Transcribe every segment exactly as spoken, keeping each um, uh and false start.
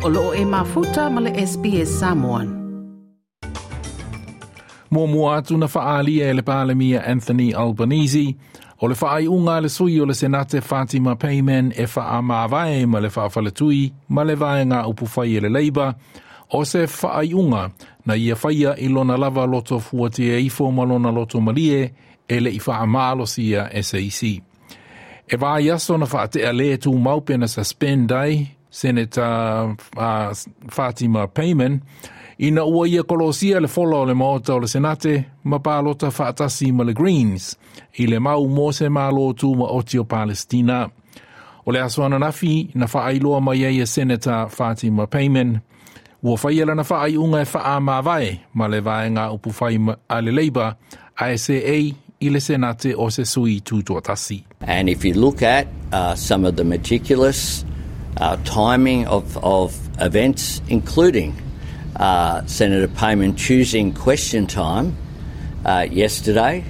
O loo e mafuta ma le S B S Samoan. Muamua atu na faaalia e le Palemia Anthony Albanese o le faaiuga a le sui o le Senate Fatima Payman e faamavae ma le faafaletui ma le vaega upufai e le Labour o se faaiuga na ia faia i lona lava loto fuatia ifo ma lona loto malie e le i faamalosia e se isi. E vai aso na faatea le tu mau pe na suspend ai Senator uh, Fatima Payman ina ua ia kolosia le fola o le maota o le Senate ma palota faatasi ma le Greens i le mau mo se malo tu ma oti o Palestina. O le aso ananafi na faailoa mai ai e Senator Fatima Payman ua faia lana faaiuga e faamavae ma le vaega upufai a le Labour a e seei i le Senate o se sui tutoatasi. And if you look at uh, some of the meticulous uh, timing of, of events, including uh, Senator Payman choosing question time uh, yesterday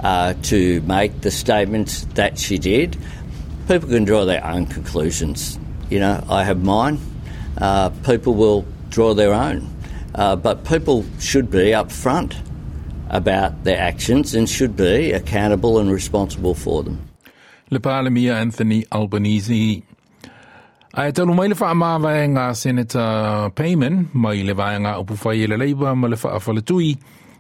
uh, to make the statements that she did, people can draw their own conclusions. You know, I have mine. Uh, people will draw their own. Uh, but people should be upfront about their actions and should be accountable and responsible for them. Le Palemia Anthony Albanese. Ae talu mai le faamavaega Senator Payman mai le vaega upufai e le Labour ma le faafaletui,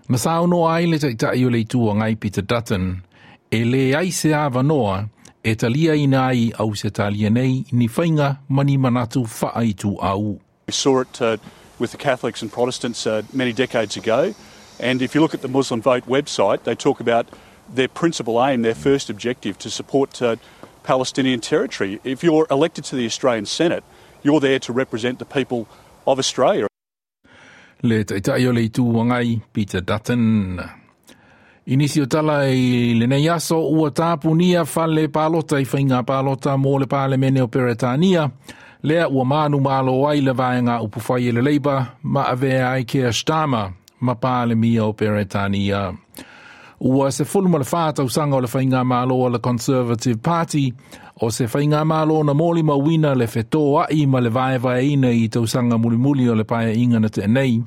na saunoa ai le taitai o le Itu Agai Peter Dutton, e leai se avanoa e talia ina ai Ausetalia nei ni faiga ma ni manatu faaituau. We saw it uh, with the Catholics and Protestants uh, many decades ago. And if you look at the Muslim Vote website, they talk about their principal aim, their first objective, to support uh, Palestinian territory. If you're elected to the Australian Senate, you're there to represent the people of Australia. Le taitai o le Itu Agai Peter Dutton. I nisi o tala i lenei aso ua tapunia fale palota i faiga palota mo le Palemene o Peretania, lea ua manu malo ai le vaega upufai e le Labour ma avea ai Keir Starmer ma Palemia o Peretania. Ua sefulu ma le whā tausaga o le faiga malo a le Conservative Party o se faiga malo na molimauina le fetoai ma le vaevaeina i tausaga mulimuli o le paeaiga na tea nei.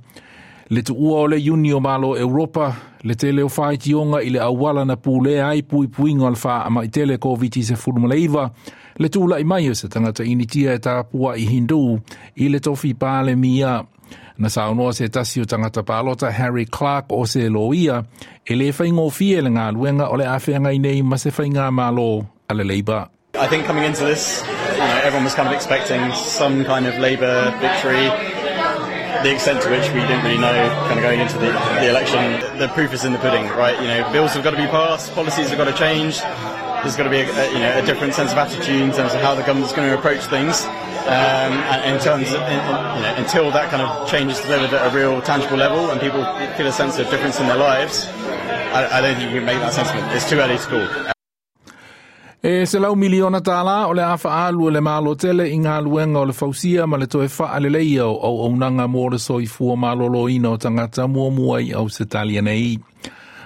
Le tuua o le Iuni o Malo Europa, le tele o faitioga i le auala na pulea ai puipuiga o le faamai tele Koviti sefulu ma le iva, le tula'i mai o se tagata Initia e tapua'i Hindu i le tofi Palemia. Na saunoa se tasi o tagata palota Harry Clark o se loia e le faigofie le galuega o le a feagai nei ma se faiga malo a le Labour. I think coming into this, you know, everyone was kind of expecting some kind of Labour victory. The extent to which we didn't really know kind of going into the, the election. The proof is in the pudding, right? You know, bills have got to be passed, policies have got to change. There's got to be a, a, you know, a different sense of attitude in terms of how the government's going to approach things. Um, and in terms of, in, in, you know, until that kind of change is delivered at a real tangible level and people feel a sense of difference in their lives, I, I don't think you can make that sentiment. It's too early to call. E selau miliona tālā o le a faaalu e le Malo tele i galuega o le fausia ma le toe faaleleia o auaunaga mo le soifua malōlōina o tagata muamua i Ausetalia nei.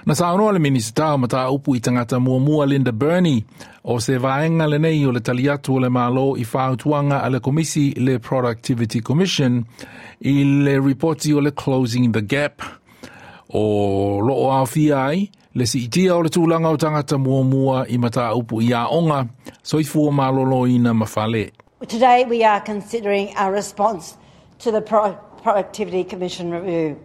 Na saunoa le Minisita o Mataupu i Tagata Muamua Linda Burney o se vaega lenei o le tali atu o le Malo i fautuaga a le Komisi le Productivity Commission i le ripoti o le Closing the Gap o loo aofia ai le siitia o le tulaga o tagata muamua i mataupu i aoga, soifua malōlōina ma fale. Today we are considering our response to the Pro- Productivity Commission review,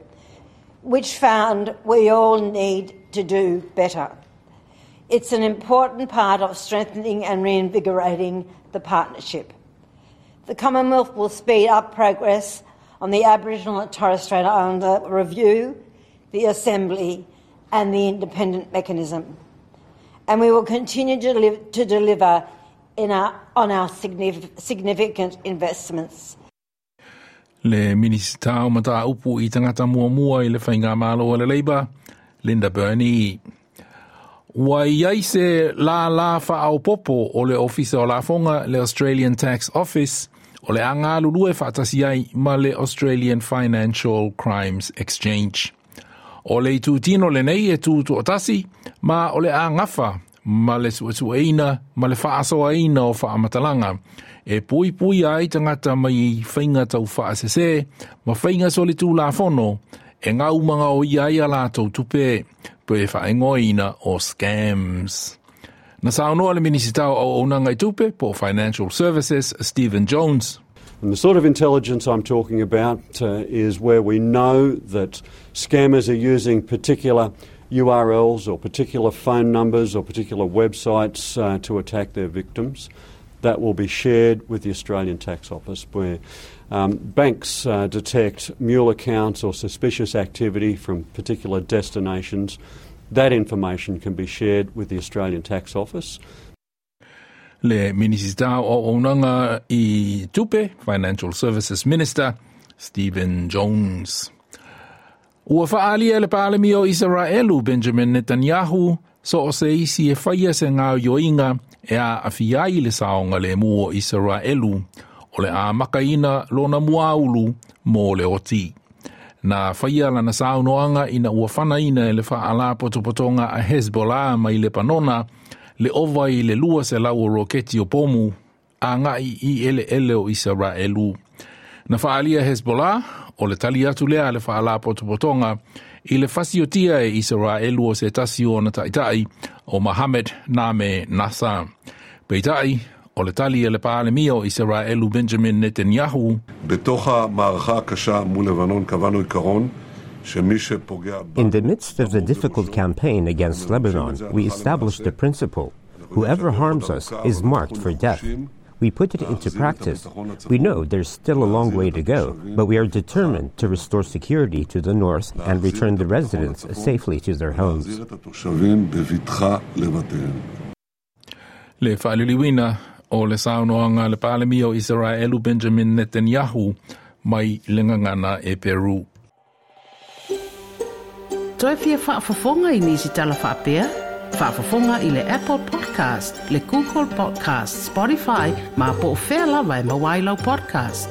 which found we all need to do better. It's an important part of strengthening and reinvigorating the partnership. The Commonwealth will speed up progress on the Aboriginal and Torres Strait Islander review, the Assembly, and the independent mechanism. And we will continue to, deliver, to deliver in our, on our significant investments. Le Minisita o Mataupu i Tagata Muamua i le Faiga Malo o le Labour, Linda Burney. Ua i ai se lālā faaopoopo o le Ofisa o Lafoga le Australian Tax Office o le a galulue faatasi ai ma le Australian Financial Crimes Exchange. O le itutino lenei e tutoatasi ma o le a gafa Ma le suesueina ma le faasoaina o faamatalaga e puipuia ai tagata mai i faiga taufaasese ma faiga solitulafono e gaumagaoia ai a latou tupe pe faaigoaina o scams. Na saunoa le Minisita o Auaunaga i Tupe po Financial Services Stephen Jones. And the sort of intelligence I'm talking about uh, is where we know that scammers are using particular U R Ls or particular phone numbers or particular websites uh, to attack their victims. That will be shared with the Australian Tax Office, where um, banks uh, detect mule accounts or suspicious activity from particular destinations. That information can be shared with the Australian Tax Office. Le Minisita o Auaunaga i Tupe, Financial Services Minister Stephen Jones. Ua faaalia le Palemia o Isaraelu Benjamin Netanyahu so o se isi e faia se gaoioiga e aafia ai le saogalemu o Isaraelu o le a makaina lona muaulu mo le oti. Na faia lana saunoaga ina ua fanaina e le faalapotopotoga a Hezbollah mai Lepanona le ova i le lua selau o roketi o pomu agai i eleele o Isaraelu. Na faaalia Hezbollah o le tali atu lea le faalapotopotoga i le fasiotia e Isaraelu o se tasi o ona taitai o Mohammed Name Nasa. Peitai, o le tali e le Palemia o Isaraelu Benjamin Netanyahu. בתוך המערכה הקשה מול לבנון קבענו עיקרון. In the midst of the difficult campaign against Lebanon, we established the principle: whoever harms us is marked for death. We put it into practice. We know there's still a long way to go, but we are determined to restore security to the north and return the residents safely to their homes. Le faaliliuina o le saunoaga le Palemia o Isaraelu Benjamin Netanyahu mai le gagana Eperu. Toe fia faafofoga i nisi tala faapea? Faafofoga i le Apple Podcast, le Google Podcast, Spotify, ma po o fea lava e maua ai lau podcast.